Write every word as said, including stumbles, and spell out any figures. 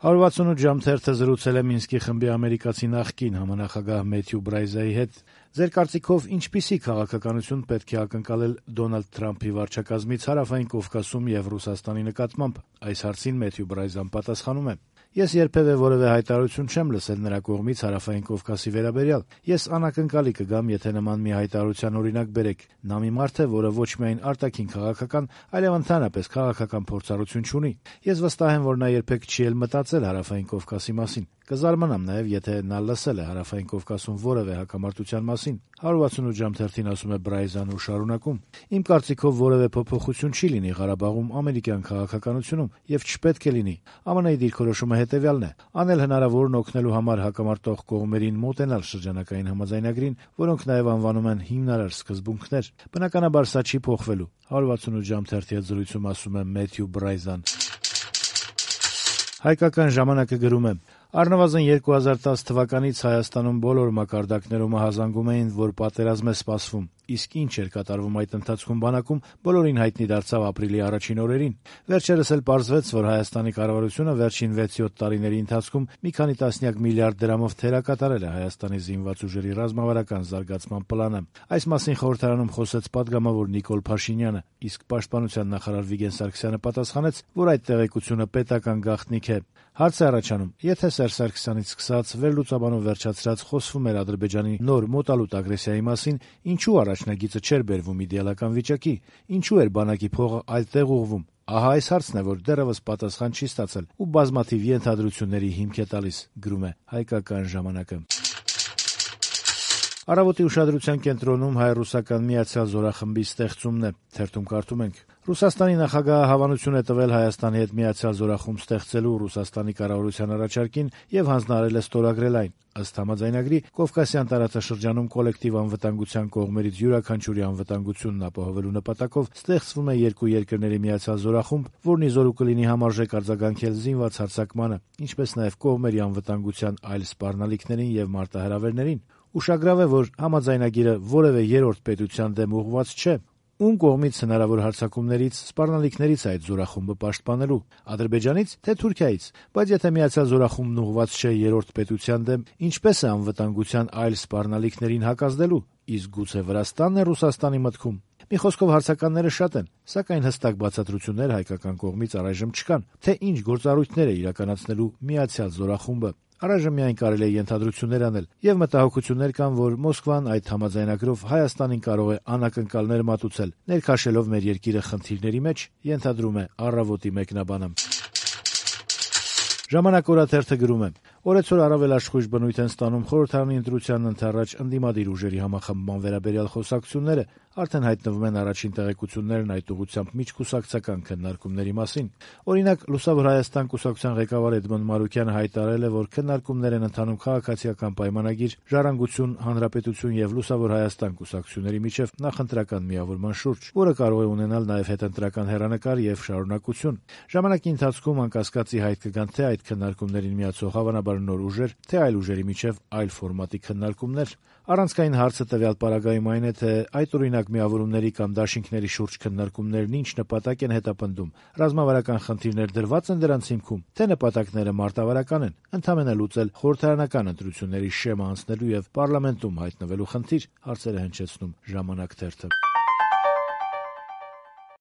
հարյուր վաթսունութ ժամ թերթը զրուցել է Մինսկի խմբի ամերիկացի նախկին համանախագահ Մեթյու Բրայզայի հետ։ Ձեր կարծիքով ինչպիսի քաղաքականություն պետք է ակնկալել Դոնալդ Թրամփի վարչակազմից Հարավային Կովկասում եւ Ռուսաստանի նկատմամբ։ Այս հարցին Մեթյու Բրայզան պատասխանում է. Ես երբևէ որևէ հայտարարություն չեմ լսել նրա կողմից Հարավային Կովկասի վերաբերյալ։ Ես անակնկալի կգամ, եթե նման մի հայտարարության օրինակ բերեք։ Նա մի մարդ է, որը ոչ միայն արտաքին քաղաքական, այլև ընդհանրապես քաղաքական փորձառություն չունի։ Ես վստահ եմ, որ նա երբեք չի էլ մտածել Հարավային Կովկասի մասին։ Կզարմանամ նաև, եթե նա լսել է Հարավային Կովկասում որևէ հակամարտության մասին։ հարյուր վաթսունութ ժամ թերթին ասում է Բրայզանը ու շարունակում. Իմ կարծիքով որևէ փոփոխություն չի լինի Ղարաբաղում ամերիկյան քաղաքականությունում եւ չպետք է լինի։ ԱՄՆ-ի դիրքորոշումը հետեւյալն է. անել հնարավորն օգնելու համար հակամարտող կողմերին մոտենալ շրջանակային համաձայնագրին, որոնք նաև անվանում են հիմնարար սկզբունքներ։ Բնականաբար սա չի փոխվելու։ հարյուր վաթսունութ ժամ թերթի հետ զրույցում ասում է Մեթյու Բրայզան։ Հայկական ժամանակը գրում է. Առնվազն երկու հազար տասը թվականից Հայաստանում բոլոր մակարդակներում ահազանգում էին, որ պատերազմ է սպասվում, իսկ ինչ էր կատարվում այդ ընթացքում բանակում, բոլորին հայտնի դարձավ ապրիլի առաջին օրերին։ Վերջերս էլ պարզվեց, որ Հայաստանի կառավարությունը վերջին վեց-յոթ տարիների ընթացքում մի քանի տասնյակ միլիարդ դրամով թերակատարել է Հայաստանի զինված ուժերի ռազմավարական զարգացման պլանը։ Այս մասին խորհրդարանում խոսեց պատգամավոր Նիկոլ Փաշինյանը, իսկ պաշտպանության նախարար Վիգեն Սարգսյանը պատասխանեց, որ այդ տեղեկությունը պետական գաղտնիք է։ Հարց է առաջանում, եթե Սերժ Սարգսյանից սկսած վերլուծաբանով վերջացրած խոսվում էր Ադրբեջանի նոր մոտալուտ ագրեսիայի մասին, ինչու առաջնագիծը չէր բերվում իդեալական վիճակի, ինչու էր բանակի փողը այլ տեղ ուղղվում։ Ահա այս հարցն է, որ դեռևս պատասխան չի ստացել ու բազմաթիվ ենթադրությունների հիմք է տալիս, գրում է Հայկական ժամանակը։ Առավոտի ուշադրության կենտրոնում հայ-ռուսական միացյալ զորախմբի ստեղծումն է, թերթում կարդում ենք. Ռուսաստանի նախագահը հավանություն է տվել Հայաստանի հետ միացյալ զորախումբ ստեղծելու Ռուսաստանի կառավարության առաջարկին եւ հանձնարարել է ստորագրել այն։ Ըստ համաձայնագրի, Կովկասյան տարածաշրջանում կոլեկտիվ անվտանգության կողմերից յուրաքանչյուրի անվտանգությունն ապահովելու նպատակով ստեղծվում է երկու երկրների միացյալ զորախումբ, որն ի զորու կլինի համարժեք արձագանքել զինված հարձակմանը, ինչպես նաեւ կողմերի անվտանգության այլ սպառնալիքներին եւ մարտահրավերներին։ Ուշագրավ է, որ համաձայնագիրը որևէ երրորդ պետության դեմ ուղղված չէ։ Ում կողմից հնարավոր հարձակումներից, սպառնալիքներից է այդ զորախումբը պաշտպանելու՝ Ադրբեջանից, թե Թուրքիայից։ Բայց եթե միացյալ զորախումբն ուղղված չէ երրորդ պետության դեմ, ինչպես է անվտանգության այլ սպառնալիքներին հակազդելու։ Իսկ գուցե Վրաստանն է Ռուսաստանի մտքում։ Մի խոսքով հարցականները շատ են, սակայն հստակ բացատրություններ հայկական կողմից առայժմ չկան, թե ինչ գործառույթներ է իրականացնելու միացյալ զորախումբը։ Առայժմ միայն կարելի է ենթադրություններ անել, եւ մտահոգություններ կան, որ Մոսկվան այդ համաձայնագրով Հայաստանին կարող է անակնկալներ մատուցել, ներքաշելով մեր երկիրը խնդիրների մեջ, ենթադրում է Առավոտի մեկնաբանը։ Ժամանակ օրաթերթը գրում է. Օրեցօր առավել աշխույժ բնույթ են ստանում խորհրդարանի ընտրությանն ընդառաջ ընդդիմադիր ուժերի համախմբման վերաբերյալ խոսակցությունները, արդեն հայտնվում են առաջին տեղեկություններն այդ ուղղությամբ միջկուսակցական քննարկումների մասին։ Օրինակ, Լուսավոր Հայաստան կուսակցության ղեկավար Էդմոնդ Մարուկյանը հայտարարել է, որ քննարկումներ են ընթանում քաղաքացիական պայմանագիր, ժառանգություն, հանրապետություն եւ Լուսավոր Հայաստան կուսակցությունների միջև նախընտրական միավորման շուրջ, որը կարող է ունենալ նաեւ հետընտրական հեռանկար եւ շարունակություն։ Ժամանակի ընթացքում անկասկածի հայտ կգան թե այդ քննարկումներին միացող հավանաբար նոր ուժեր, թե այլ ուժերի միջև այլ ֆորմատի քննարկումներ։ Առանցքային հարցը տվյալ պարագայում այն է, թե այդ օրինակ միավորումների կամ դաշինքների շուրջ քննարկումներն ինչ նպատակ են հետապնդում, ռազմավարական խնդիրներ դրված են դրանց հիմքում, թե նպատակները մարտավարական են, ընդհանրապես լուծել խորհրդարանական ընտրությունների շեմը անցնելու եւ պարլամենտում հայտնվելու խնդիր, հարցերը հնչեցնում Ժամանակ թերթը։